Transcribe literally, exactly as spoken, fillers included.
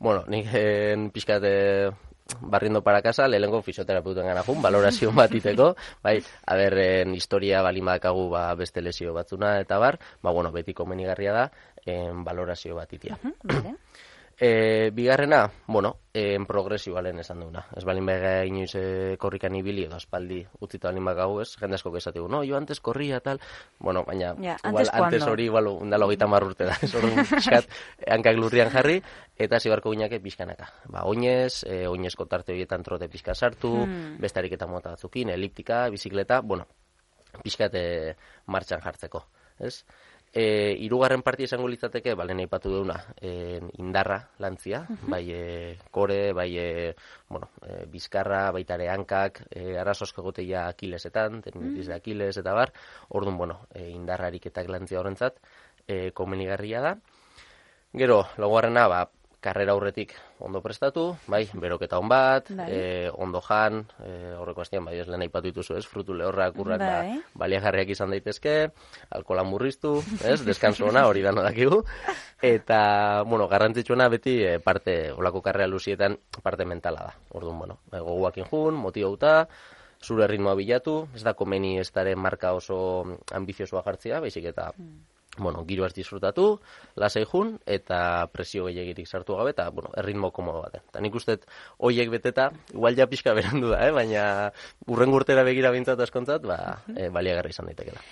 bueno, nik en pixkat eh, barriendo para casa, lehenengo fisioterapeuten gana jun, valorazio bat iteko, bai, aberren historia balin badakagu ba, beste lesio batzuna eta bar, ba, bueno, beti komenigarria da, en valorazio bat itia. Bale. E, bigarrena, bueno, en progresioa lehen esan duguna. Ez balin bega inoiz e, korrikan ibili edo aspaldi utzita balin bagagu ez, jende asko esategu, no, yo antes corría tal, bueno, baina Ja, igual, antes antes cuando? hori igual undala hogeita hamar urte da, ez orduan pixkat hankak lurrian jarri, eta zibarko ginake pixkanaka. Ba, oinez, e, oinezko tarte horietan trote pixka sartu, Hmm. beste ariketa mota batzukin, eliptika, bizikleta, bueno, pixkat e, martxan jartzeko, ez? E, hirugarren partia izango litzateke, balen aipatu duguna, e, indarra lantzia, bai e, kore, bai e, bueno, e, bizkarra, baita ere hankak, e, arazosko egoteia akilesetan, tendinitis de Akiles eta bar, orduan, bueno, e, indarra ariketak lantzia horrentzat, e, komenigarria da. Gero, laugarrena, ba, karrera aurretik ondo prestatu, bai, beroketa on bat, Bai. e, ondo jan, e, horreko astian, bai, ez lehen aipatu dituzu, ez, frutu lehorrak, urrak, Bai. ba, baliagarriak izan daitezke, alkohola murriztu, ez, deskanso ona, hori dano dakigu, eta, bueno, garrantzitsuena beti e, parte, olako karrera luzietan, parte mentala da, orduan, bueno, e, goguakin jun, motibauta, zure ritmoa bilatu, ez da komeni ez daren marka oso ambiziosoa jartzea, baizik eta, bueno, giroaz disfrutatu, lasai jun, eta presio gehiagirik sartu gabe, eta, bueno, erritmo komodo baten. Eta nik uste, hoiek beteta, igual ja pixka berandu da, eh? Baina urren urtera begira bintzat askontzat, ba, e, baliagarri izan daitekela.